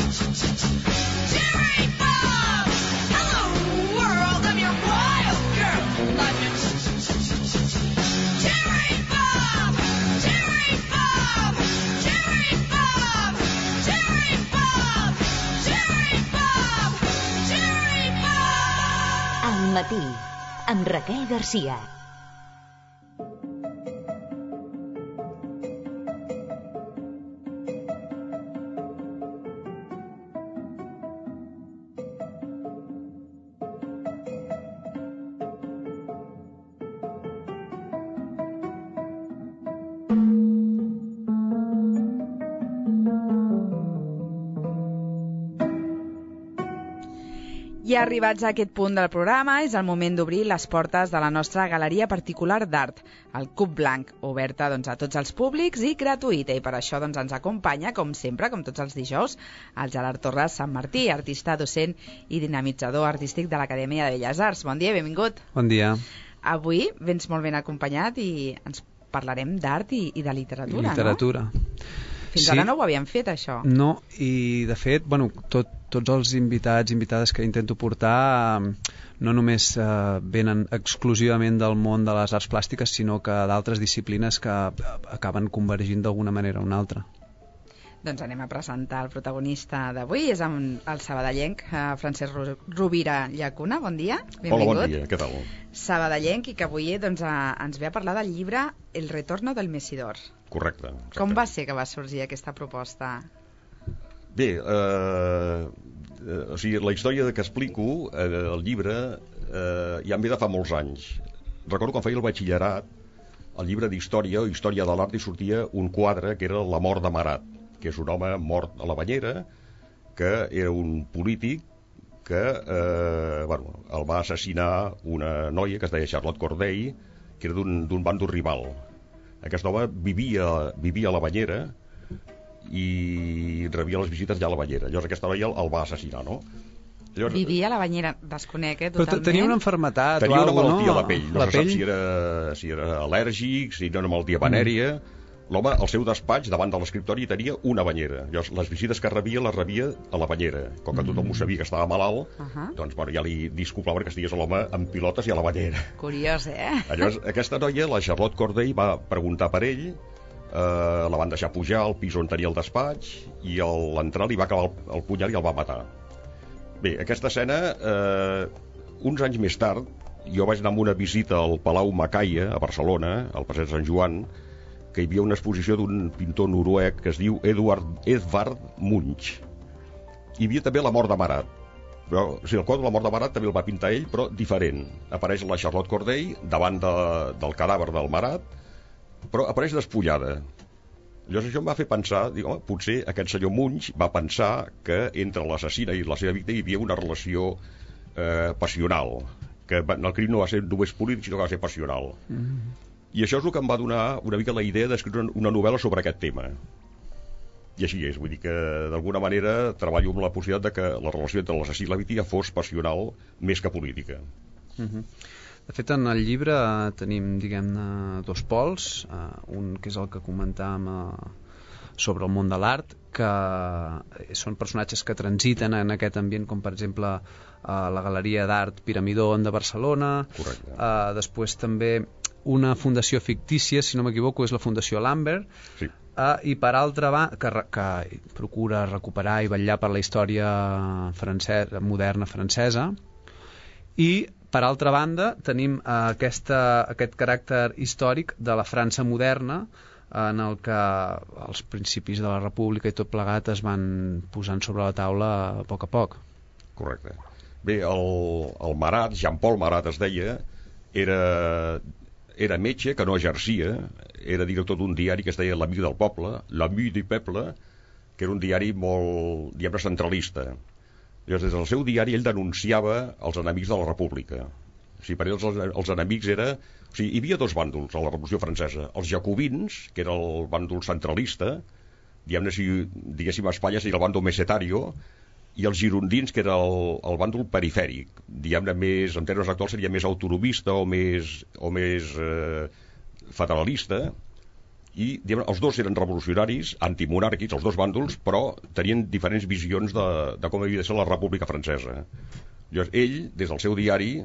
Jerry Bob! Hello, world, I'm your wild girl. Jerry Bob! Jerry Bob! Jerry Bob! Jerry Bob! Jerry Bob! Jerry Bob! Al matí, amb Raquel Garcia. Ja arribats a aquest punt del programa, és el moment d'obrir les portes de la nostra galeria particular d'art, el Cub Blanc, oberta a tots els públics i gratuïta. I per això ens acompanya, com sempre, com tots els dijous, el Gerard Torres Sant Martí, artista, docent i dinamitzador artístic de l'Acadèmia de Belles Arts. Bon dia, benvingut. Bon dia. Avui vens molt ben acompanyat i ens parlarem d'art i de literatura, Literatura. No? Fins ara no ho havíem fet, això. No, i de fet, tots els invitats, invitades que intento portar no només venen exclusivament del món de les arts plàstiques, sinó que d'altres disciplines que acaben convergint d'alguna manera o una altra. Doncs anem a presentar el protagonista d'avui, és el sabadellenc Francesc Rovira Llacuna. Bon dia, benvingut. Hola, bon dia, què tal? Sabadellenc, i que avui ens ve a parlar del llibre El retorno del Mesidor. Correcte. Com va ser que va sorgir aquesta proposta? Bé, o sigui, la història que explico, el llibre, ja em ve de fa molts anys. Recordo quan feia el batxillerat, el llibre d'història o història de l'art, hi sortia un quadre que era La mort de Marat, que és un home mort a la banyera, que era un polític que el va assassinar una noia que es deia Charlotte Corday, que era d'un bàndol rival. Aquest home vivia a la banyera i rebia les visites ja a la banyera. Llavors aquesta noia el va assassinar, no? Llavors, vivia a la banyera, desconec, totalment. Però tenia una malaltia tenia una malaltia no? a la pell. No se sap si era al·lèrgic, si era una malaltia venèria. L'home, al seu despatx, davant de l'escriptori, tenia una banyera. Llavors, les visites que rebia, les rebia a la banyera. Com que tothom ho sabia que estava malalt, doncs ja li disculpava que estigués l'home en pilotes i a la banyera. Curiós, Llavors, aquesta noia, la Charlotte Corday, va preguntar per ell, la van deixar pujar al pis on tenia el despatx, i a l'entrar li va acabar el punyal i el va matar. Bé, aquesta escena, uns anys més tard, jo vaig anar amb una visita al Palau Macaia, a Barcelona, al passeig Sant Joan, que hi havia una exposició d'un pintor noruec que es diu Edvard Munch. Hi havia també La mort de Marat. Però, el quadre de La mort de Marat també el va pintar ell, però diferent. Apareix la Charlotte Corday davant del cadàver del Marat, però apareix despullada. Llavors això em va fer pensar, potser aquest senyor Munch va pensar que entre l'assassina i la seva víctima hi havia una relació passional, que el crim no va ser només polític, sinó que va ser passional. I això és el que em va donar una mica la idea d'escriure una novel·la sobre aquest tema. I així és, vull dir que d'alguna manera treballo amb la possibilitat de que la relació entre l'assassí i la víctima fos passional més que política. De fet, en el llibre tenim, diguem-ne, dos pols, un que és el que comentàvem sobre el món de l'art, que són personatges que transiten en aquest ambient, com per exemple la Galeria d'Art Piramidon de Barcelona. Correcte. Després també una fundació fictícia, si no m'equivoco, és la Fundació Lambert, sí. I per altra banda, que procura recuperar i vetllar per la història moderna francesa, i per altra banda tenim aquest caràcter històric de la França moderna, en el que els principis de la República i tot plegat es van posant sobre la taula a poc a poc. Correcte. Bé, el Marat, Jean-Paul Marat es deia, era metge que no exercia, era director d'un diari que es deia L'Amic del Poble, L'Ami du Peuple, que era un diari molt, diguem-ne, centralista. Llavors, des del seu diari ell denunciava els enemics de la República. O sigui, per ell els enemics era... O sigui, hi havia dos bàndols a la Revolució Francesa. Els jacobins, que era el bàndol centralista, diguem-ne, si diguéssim a Espanya seria el bàndol mesetario, i els girondins, que era el bàndol perifèric, diguem-ne més, en termes actuals seria més autonomista o més federalista, i els dos eren revolucionaris, antimonàrquics, els dos bàndols, però tenien diferents visions de com havia de ser la República Francesa. Llavors, ell, des del seu diari,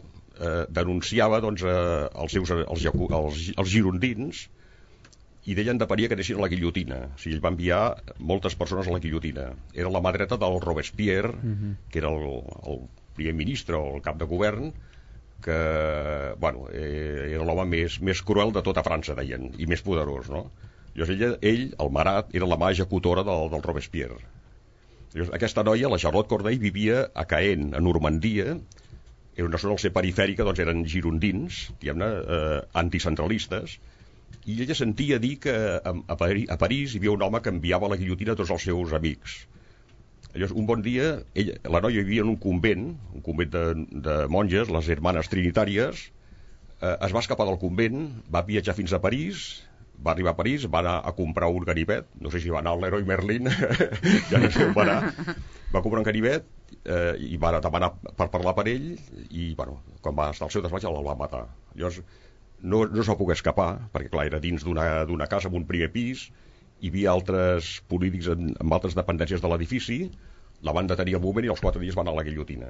denunciava doncs, els girondins i deien de paria que anessin a la guillotina. O sigui, ell va enviar moltes persones a la guillotina. Era la mà dreta del Robespierre, que era el primer ministre o el cap de govern, que bueno, era l'home més cruel de tota França, deien, i més poderós, no? Llavors ell, el Marat, era la mà executora del Robespierre. Llavors, aquesta noia, la Charlotte Corday, vivia a Caen, a Normandia. Era una zona al ser perifèrica, doncs eren girondins, diguem-ne, anticentralistes, i ella sentia dir que a París hi havia un home que enviava a la guillotina tots els seus amics. Llavors, un bon dia, la noia vivia en un convent de monges, les Hermanes Trinitàries, es va escapar del convent, va viatjar fins a París, va arribar a París, va anar a comprar un ganivet, no sé si va anar al Leroy Merlin, ja no sé on va anar, va comprar un ganivet i va demanar per parlar per ell, i bueno, quan va estar al seu despatx el va matar. Llavors, no es va poder escapar, perquè clar, era dins d'una casa amb un primer pis, hi havia altres polítics amb altres dependències de l'edifici, la van detenir al moment i als 4 dies van anar a la guillotina.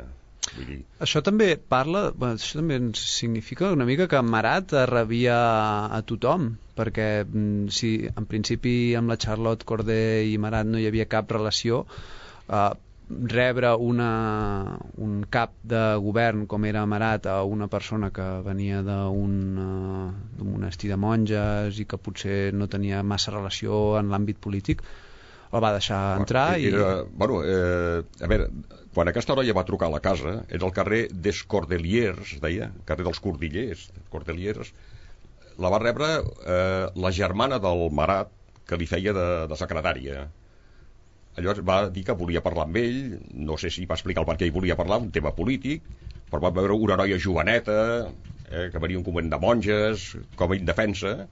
Vull dir... Això també això també ens significa una mica que Marat rebia a tothom, perquè si en principi amb la Charlotte Corday i Marat no hi havia cap relació, rebre un cap de govern com era Marat a una persona que venia d'un monestir de monges i que potser no tenia massa relació en l'àmbit polític, el va deixar entrar i... A veure, quan aquesta noia va trucar a la casa, era al carrer des Cordeliers, deia, carrer dels Cordeliers, la va rebre la germana del Marat, que li feia de secretària. Llavors va dir que volia parlar amb ell, no sé si va explicar el per què hi volia parlar, un tema polític, però va veure una noia joveneta, que venia un convent de monges, com a indefensa,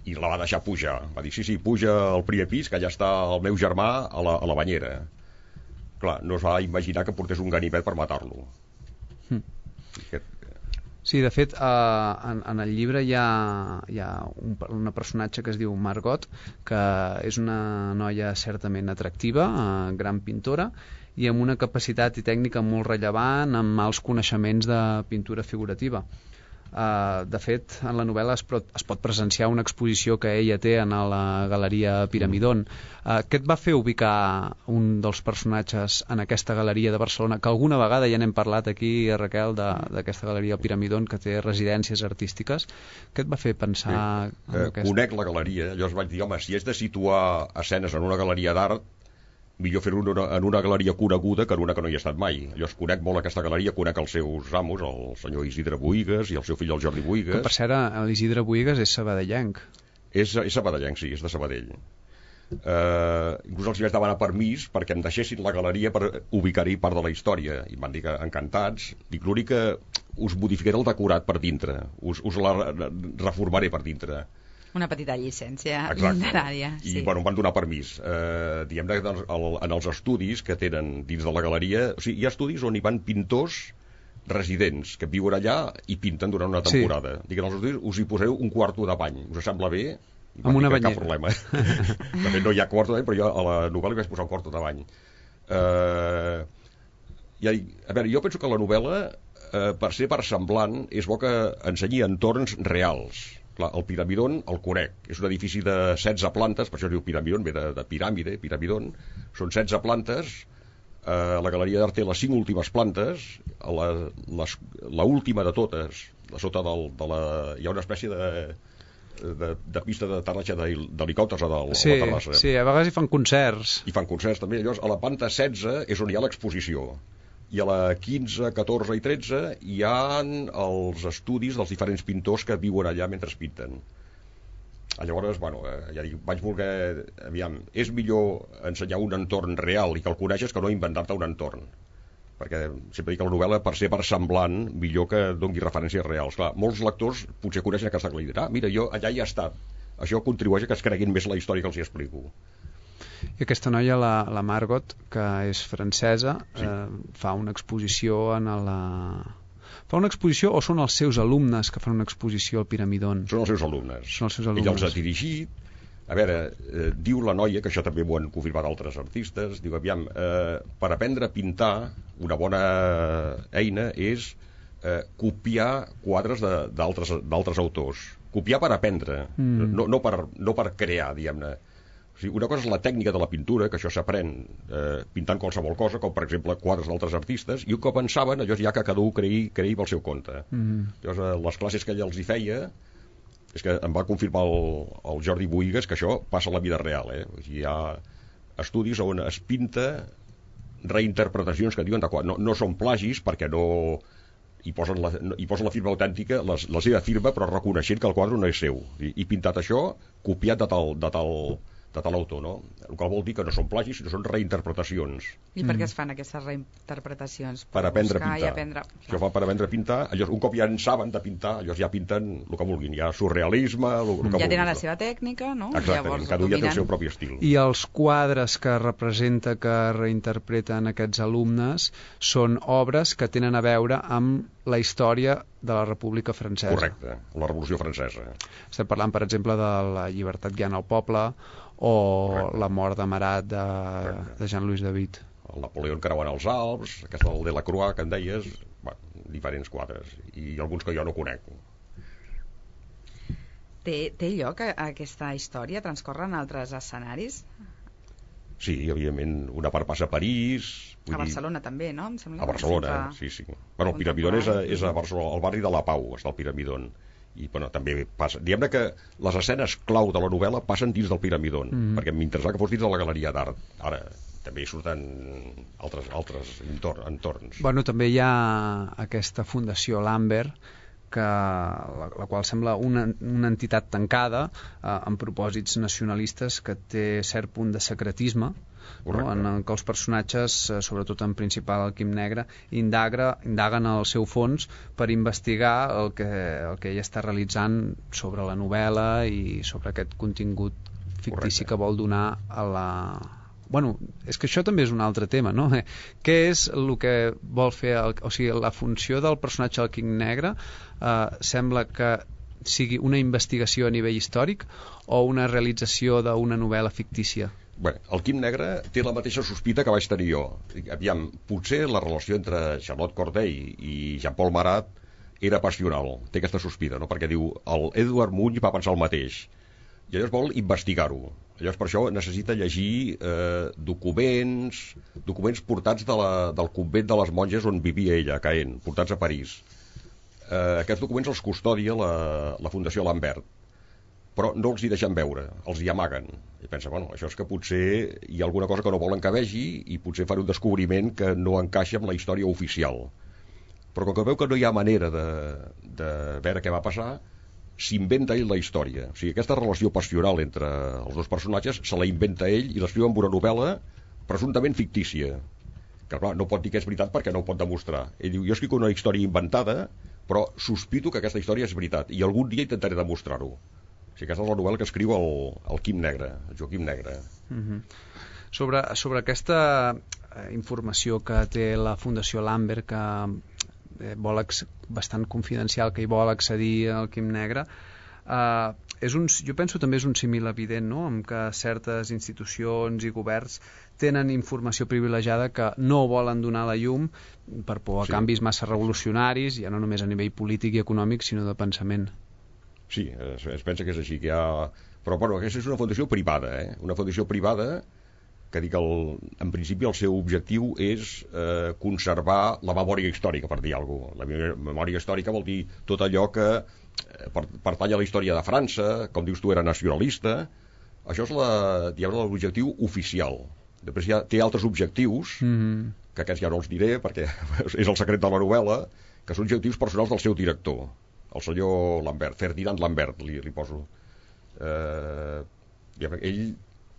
i la va deixar pujar. Va dir, sí, puja al primer pis, que allà està el meu germà a la banyera. Clar, no es va imaginar que portés un ganivet per matar-lo. Sí, de fet, en el llibre hi ha una personatge que es diu Margot, que és una noia certament atractiva, gran pintora, i amb una capacitat i tècnica molt rellevant, amb mals coneixements de pintura figurativa. De fet, en la novel·la es pot presenciar una exposició que ella té en la Galeria Piramidon. Què et va fer ubicar un dels personatges en aquesta galeria de Barcelona, que alguna vegada ja n'hem parlat aquí, Raquel, d'aquesta Galeria Piramidon, que té residències artístiques? Què et va fer pensar en aquesta? Conec la galeria, llavors vaig dir, home, si és de situar escenes en una galeria d'art, millor fer-ho en una galeria coneguda que en una que no hi he estat mai. Llavors conec molt aquesta galeria, conec els seus amos, el senyor Isidre Boïgues i el seu fill, el Jordi Boïgues. Que per cert, l'Isidre Boïgues és sabadellenc. És sabadellenc, sí, és de Sabadell. Inclús els vaig demanar permís perquè em deixessin la galeria per ubicar-hi part de la història, i em van dir que encantats. Dic, l'únic que us modificaré el decorat per dintre, us la reformaré per dintre. Una petita llicència literària. I bueno, em van donar permís. Diguem-ne que en els estudis que tenen dins de la galeria, o sigui, hi ha estudis on hi van pintors residents que viuen allà i pinten durant una temporada. Sí. Dic, en els estudis us hi poseu un quarto de bany. Us sembla bé? Amb una banyera. Cap problema. De fet, no hi ha quarto de bany, però jo a la novel·la hi vaig posar un quarto de bany. A veure, jo penso que la novel·la, per ser versemblant, és bo que ensenyi entorns reals. Clar, el Piramidon el conec, és un edifici de 16 plantes, per això es diu Piramidon, ve de piràmide, Piramidon, són 16 plantes, la Galeria d'Art té les 5 últimes plantes, la última de totes, a sota hi ha una espècie de pista d'aterratge d'helicòpters a la terrassa. Sí, a vegades hi fan concerts. I fan concerts també, llavors a la planta 16 és on hi ha l'exposició. I a la 15, 14 i 13 hi ha els estudis dels diferents pintors que viuen allà mentre pinten. Llavors, bueno, ja dic, vaig voler... Aviam, és millor ensenyar un entorn real i que el coneixes que no inventar-te un entorn. Perquè sempre dic que la novel·la, per ser versemblant, millor que doni referències reals. Clar, molts lectors potser coneixen aquesta clar i diran, mira, jo allà hi he estat. Això contribueix a que es creguin més la història que els hi explico. I aquesta noia, la Margot, que és francesa, fa una exposició Fa una exposició o són els seus alumnes que fan una exposició al Piramidon? Són els seus alumnes. Ell els ha dirigit, A veure, diu la noia, que això també ho han confirmat altres artistes, diu, aviam, per aprendre a pintar, una bona eina és copiar quadres d'altres autors. Copiar per aprendre, no per crear, diguem-ne. O sigui, una cosa és la tècnica de la pintura, que això s'aprèn pintant qualsevol cosa, com per exemple quadres d'altres artistes, i un cop en saben, allò ja que cada un creï pel seu compte. Llavors, les classes que ella els hi feia, és que em va confirmar el Jordi Boïgues que això passa a la vida real. O sigui, hi ha estudis on es pinta reinterpretacions que diuen no són plagis perquè no hi posen la firma autèntica, la seva firma, però reconeixent que el quadre no és seu, i pintat això copiat de tal autor, no? El qual vol dir que no són plagis, sinó són reinterpretacions. I per què es fan aquestes reinterpretacions? Per aprendre a pintar. Això fa per aprendre a pintar. Llavors, un cop ja en saben de pintar, llavors ja pinten el que vulguin. Ja surrealisme, el que vulguin. Ja tenen la seva tècnica, no? Exactament, cada un ja té el seu propi estil. I els quadres que representa, que reinterpreten aquests alumnes, són obres que tenen a veure amb la història de la República Francesa. Correcte, la Revolució Francesa. Estem parlant, per exemple, de la llibertat guiant al poble, o correcte, la mort de Marat de Jean-Louis David. El Napoleó creuant els Alps, aquesta del Delacroix que en deies, diferents quadres, i alguns que jo no conec. Té lloc aquesta història? Transcorre en altres escenaris? Sí, evidentment, una part passa a París... A Barcelona també, no? Em sembla a Barcelona, sí. Bueno, el Piramidon és a Barcelona, al barri de la Pau està el Piramidon. I bueno, també passa, diguem-ne que les escenes clau de la novel·la passen dins del Piramidon, perquè m'interessava que fos dins de la Galeria d'Art. Ara també hi surten altres entorns. Bueno, també hi ha aquesta Fundació Lambert, la qual sembla una entitat tancada amb propòsits nacionalistes, que té cert punt de secretisme, no? En què els personatges, sobretot en principal el Quim Negre, indaguen al seu fons per investigar el que ella està realitzant sobre la novel·la i sobre aquest contingut fictici que vol donar a la... Bueno, és que això també és un altre tema, no? Què és el que vol fer... O sigui, la funció del personatge del Quim Negre sembla que sigui una investigació a nivell històric o una realització d'una novel·la fictícia? Bé, el Quim Negre té la mateixa sospita que vaig tenir jo. Aviam, potser la relació entre Charlotte Corday i Jean-Paul Marat era passional, té aquesta sospita, no? Perquè diu, el Edward Munch va pensar el mateix, i llavors vol investigar-ho. Llavors per això necessita llegir documents portats del convent de les monges on vivia ella, a Caen, portats a París. Aquests documents els custodia la Fundació Lambert, però no els hi deixen veure, els hi amaguen. I pensa, bueno, això és que potser hi ha alguna cosa que no volen que vegi i potser fan un descobriment que no encaixa amb la història oficial. Però com que veu que no hi ha manera de veure què va passar, s'inventa ell la història. O sigui, aquesta relació passional entre els dos personatges se la inventa ell i l'escriu amb una novel·la presumptament fictícia, que clar, no pot dir que és veritat perquè no ho pot demostrar. Ell diu, jo escric una història inventada, però sospito que aquesta història és veritat i algun dia intentaré demostrar-ho. O sigui, aquesta és la novel·la que escriu el Quim Negre, el Joaquim Negre. Sobre aquesta informació que té la Fundació Lambert, que vol bastant confidencial, que hi vol accedir al Quim Negre, jo penso també és un símil evident, no? En què certes institucions i governs tenen informació privilegiada que no volen donar a la llum per por a canvis massa revolucionaris, ja no només a nivell polític i econòmic, sinó de pensament. Sí, es pensa que és així, que hi ha... Però bueno, aquesta és una fundació privada, una fundació privada que dic en principi el seu objectiu és conservar la memòria històrica, per dir alguna cosa. La memòria històrica vol dir tot allò que pertany a la història de França, com dius tu, era nacionalista. Això és l'objectiu oficial. Després té altres objectius, que aquests ja no els diré perquè és el secret de la novel·la, que són objectius personals del seu director, el senyor Lambert, Ferdinand Lambert, li poso. Ell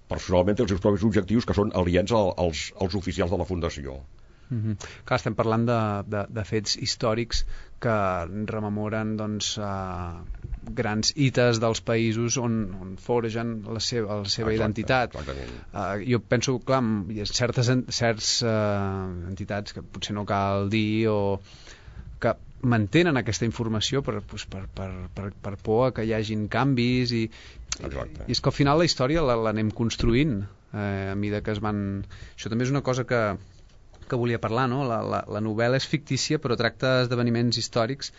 personalment té els seus propis objectius que són aliens als oficials de la Fundació. Clar, estem parlant de fets històrics que rememoren grans hites dels països on forgen la seva identitat. Jo penso, clar, hi ha certes entitats que potser no cal dir o que mantenen aquesta informació per por a que hi hagin canvis i és que al final la història l'anem construint a mesura que es van... Això també és una cosa que volia parlar, no? La novel·la és fictícia però tracta esdeveniments històrics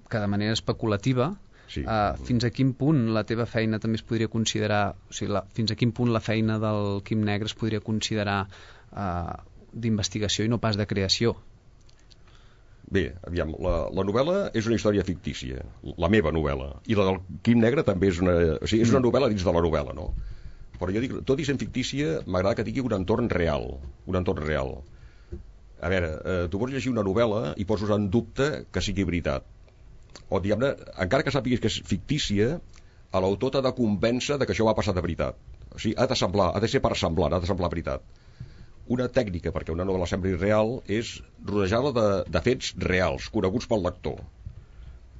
que de manera especulativa. Sí. Fins a quin punt la teva feina també es podria considerar, o sigui, fins a quin punt la feina del Quim Negre es podria considerar d'investigació i no pas de creació? Bé, aviam, la novel·la és una història fictícia, la meva novel·la, i la del Quim Negre també és és una novel·la dins de la novel·la, no? Però jo dic, tot i sent fictícia, m'agrada que tingui un entorn real, A veure, tu pots llegir una novel·la i pots posar en dubte que sigui veritat. O, diguem-ne, encara que sàpigues que és fictícia, a l'autor t'ha de convèncer que això va passar de veritat. O sigui, ha de ser versemblant, ha de semblar veritat. Una tècnica perquè una novel·la sembli real és rodejar-la de fets reals, coneguts pel lector.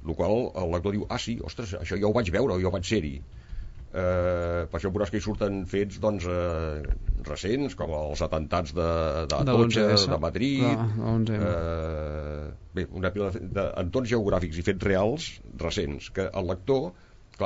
El qual el lector diu, sí, ostres, això ja ho vaig veure, jo vaig ser-hi. Per això veuràs que hi surten fets recents, com els atentats d'Atocha, de Madrid, una pila d'entorns geogràfics i fets reals recents, que el lector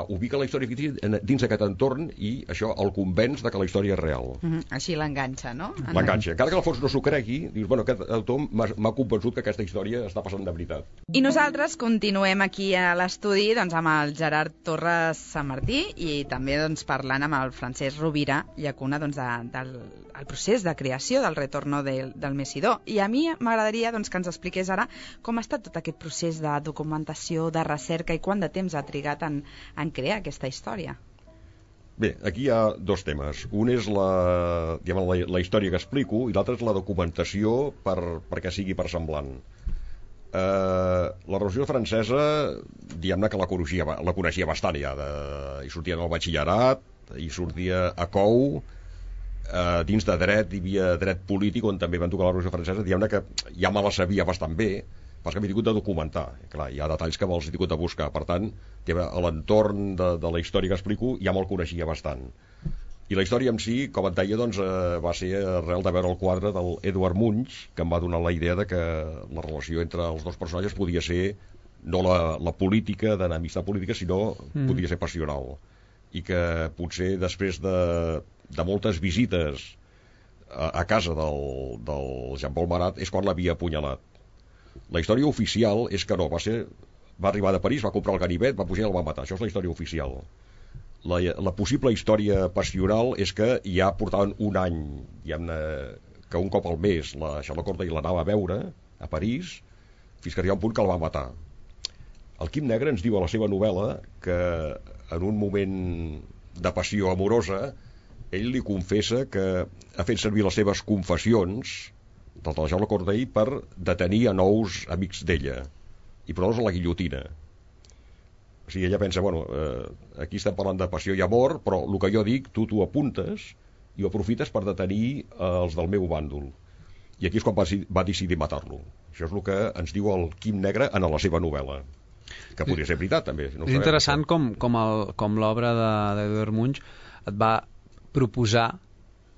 ubica la història fictícia dins d'aquest entorn i això el convenç que la història és real. Així l'enganxa, no? L'enganxa. Encara que al fons no s'ho cregui, dius, bueno, aquest autor m'ha convençut que aquesta història està passant de veritat. I nosaltres continuem aquí a l'estudi amb el Gerard Torres Sant Martí i també parlant amb el Francesc Rovira Llacuna del procés de creació del Retorno del Mesidor. I a mi m'agradaria que ens expliqués ara com ha estat tot aquest procés de documentació, de recerca i quant de temps ha trigat en crear aquesta història. Bé, aquí hi ha dos temes. Un és la història que explico i l'altre és la documentació perquè sigui versemblant. La Revolució Francesa, diguem-ne que la coneixia bastant ja. Hi sortia en el batxillerat, hi sortia a COU, dins de dret hi havia dret polític on també van tocar la Revolució Francesa, diguem-ne que ja me la sabia bastant bé, perquè m'he tingut de documentar. Clar, hi ha detalls que me'ls he tingut de buscar. Per tant, a l'entorn de la història que explico ja me'l coneixia bastant. I la història en si, com et deia, va ser arrel de veure el quadre del Edvard Munch, que em va donar la idea de que la relació entre els dos personatges podia ser no la política, d'enemistat política, sinó podia ser passional. I que potser després de moltes visites a casa del Jean-Paul Marat és quan l'havia apunyalat. La història oficial és que no, va arribar de París, va comprar el ganivet, va pujar i el va matar. Això és la història oficial. La possible història passional és que ja portaven un any, que un cop al mes la Charlotte Corday l'anava a veure a París, fins que arriba un punt que el va matar. El Quim Negre ens diu a la seva novel·la que en un moment de passió amorosa ell li confessa que ha fet servir les seves confessions del de la Charlotte Corday per detenir a nous amics d'ella i posar-los a la guillotina. O sigui, ella pensa, bueno, aquí estem parlant de passió i amor, però el que jo dic, tu apuntes i ho aprofites per detenir els del meu bàndol. I aquí és quan va decidir matar-lo. Això és el que ens diu el Quim Negre en la seva novel·la, que podria ser veritat també. No és interessant com l'obra d'Edvard Munch et va proposar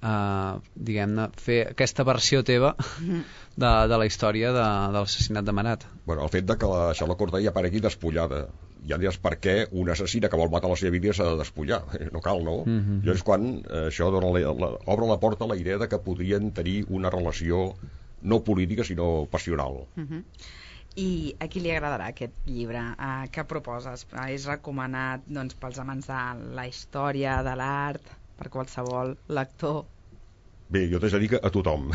diguem-ne, fer aquesta versió teva de la història de l'assassinat de Marat. Bueno, el fet de que la Charlotte Corday aparegui despullada. Ja diràs per què un assassina que vol matar la seva víctima s'ha de despullar. No cal, no? Llavors quan això obre la porta a la idea de que podrien tenir una relació no política sinó passional. I a qui li agradarà aquest llibre? Què proposes? És recomanat pels amants de la història, de l'art, per qualsevol lector? Bé, jo t'haig de dir que a tothom.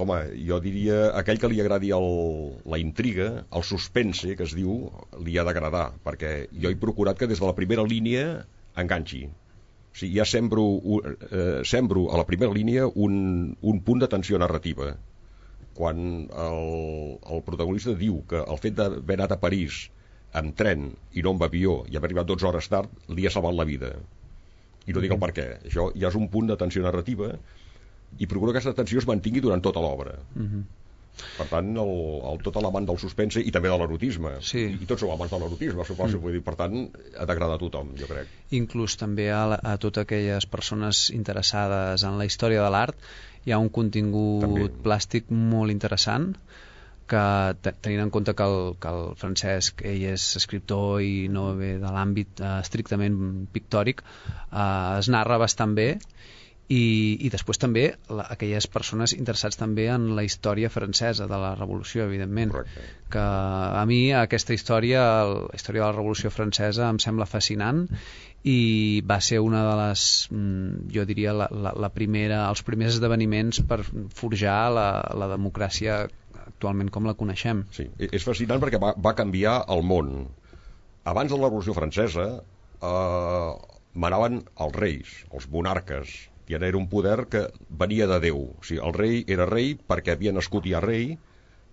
Home, jo diria aquell que li agradi la intriga, el suspense, que es diu, li ha d'agradar, perquè jo he procurat que des de la primera línia enganxi. O sigui, ja sembro a la primera línia un punt de tensió narrativa. Quan el protagonista diu que el fet d'haver anat a París amb tren i no amb avió i haver arribat 12 hores tard li ha salvat la vida. I no dic el per què. Això ja és un punt de tensió narrativa i procuro que aquesta tensió es mantingui durant tota l'obra. Per tant, tot l'amant del suspense i també de l'erotisme. Sí. I tots som amants de l'erotisme, per tant, ha d'agradar a tothom, jo crec. Inclús també a totes aquelles persones interessades en la història de l'art hi ha un contingut plàstic molt interessant que tenint en compte que el Francesc ell és escriptor i no ve de l'àmbit estrictament pictòric, es narra bastant bé. I després també aquelles persones interessats també en la història francesa de la Revolució, evidentment. Correcte. Que a mi aquesta història, la història de la Revolució Francesa em sembla fascinant i va ser una de les, jo diria, la primera, els primers esdeveniments per forjar la democràcia actualment com la coneixem. Sí, és fascinant perquè va canviar el món. Abans de la Revolució Francesa manaven els reis, els monarques, i era un poder que venia de Déu. O sigui, el rei era rei perquè havia nascut ja rei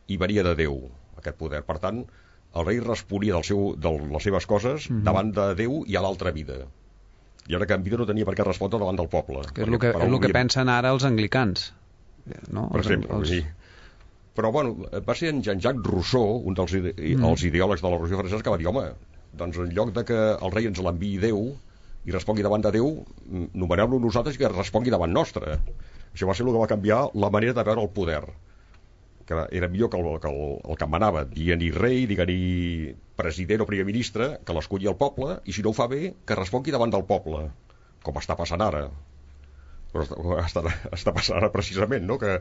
i venia de Déu, aquest poder. Per tant, el rei responia de les seves coses davant de Déu i a l'altra vida. I ara que en vida no tenia per què respondre davant del poble. Que és el que pensen ara els anglicans. No? Per exemple, sí. Però, bueno, va ser en Jean-Jacques Rousseau, un dels els ideòlegs de la Revolució Francesa, que va dir, home, doncs en lloc de que el rei ens l'enviï Déu i respongui davant de Déu, nomenem-lo nosaltres i que respongui davant nostre. Això va ser el que va canviar la manera de veure el poder, que era millor que el que manava, dient-hi rei, dient-hi president o primer ministre, que l'escolli el poble, i si no ho fa bé, que respongui davant del poble, com està passant ara. Però està passant ara precisament, no? Que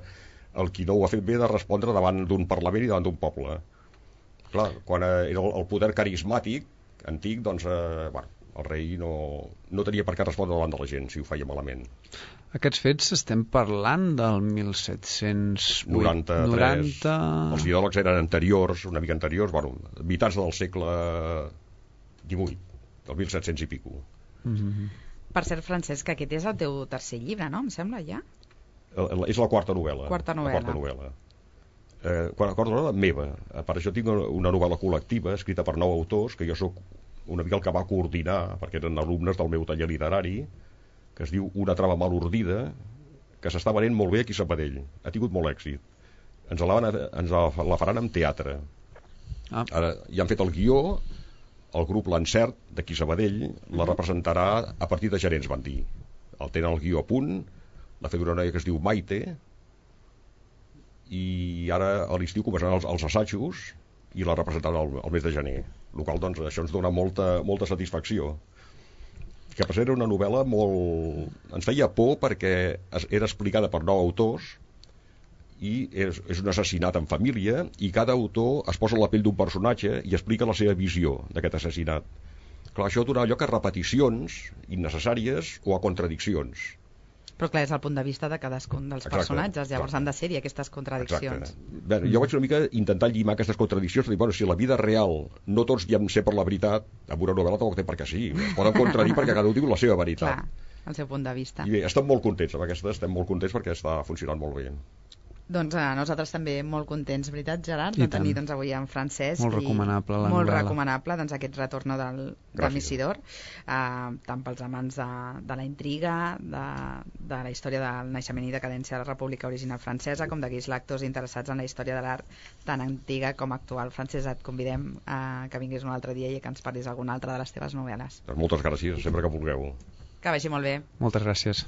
el qui no ho ha fet bé de respondre davant d'un parlament i davant d'un poble. Clar, quan era el poder carismàtic, antic, doncs, bueno, el rei no tenia per què respondre davant de la gent si ho feia malament. Aquests fets estem parlant del 1793. Els ideòlegs eren anteriors, una mica anteriors, bueno, mitjans del segle XVIII, del 1700 i pico. Per cert, Francesc, aquest és el teu tercer llibre, no? Em sembla, ja? És la quarta novel·la. Quarta novel·la meva. Per això tinc una novel·la col·lectiva escrita per 9 autors, que jo sóc una mica el que va coordinar, perquè eren alumnes del meu taller literari, que es diu Una trama mal ordida, que s'està venent molt bé aquí a Sabadell. Ha tingut molt èxit. Ens la faran en teatre. Ara ja han fet el guió, el grup L'Encert, d'aquí a Sabadell, la representarà a partir de gener, ens van dir. El tenen el guió a punt, l'ha fet una noia que es diu Maite, i ara a l'estiu començaran els assajos i la representaran el mes de gener. El qual, doncs, això ens dona molta satisfacció. Que per ser una novel·la molt... Ens feia por perquè era explicada per 9 autors i és un assassinat en família i cada autor es posa a la pell d'un personatge i explica la seva visió d'aquest assassinat. Clar, això dona lloc a repeticions innecessàries o a contradiccions. Però clar, és el punt de vista de cadascun dels personatges, llavors han de ser-hi aquestes contradiccions. Bé, jo vaig una mica intentar llimar aquestes contradiccions, dir, bueno, si la vida real no tots diem ser per la veritat, amb una novel·la tampoc té per què sí, es poden contradir perquè cada un diu la seva veritat. Clar, el seu punt de vista. I bé, estem molt contents amb aquesta, estem molt contents perquè està funcionant molt bé. Doncs nosaltres també molt contents, veritat, Gerard, de tenir doncs, avui en Francesc. Molt recomanable la molt novel·la. Recomanable, doncs, aquest retorn del Missidor, tant pels amants de la intriga, de la història del naixement i decadència de la República Original Francesa, com d'aquells lectors interessats en la història de l'art tan antiga com actual. Francesc, et convidem que vinguis un altre dia i que ens parlis alguna altra de les teves novel·les. Moltes gràcies, sempre que vulgueu. Que vagi molt bé. Moltes gràcies.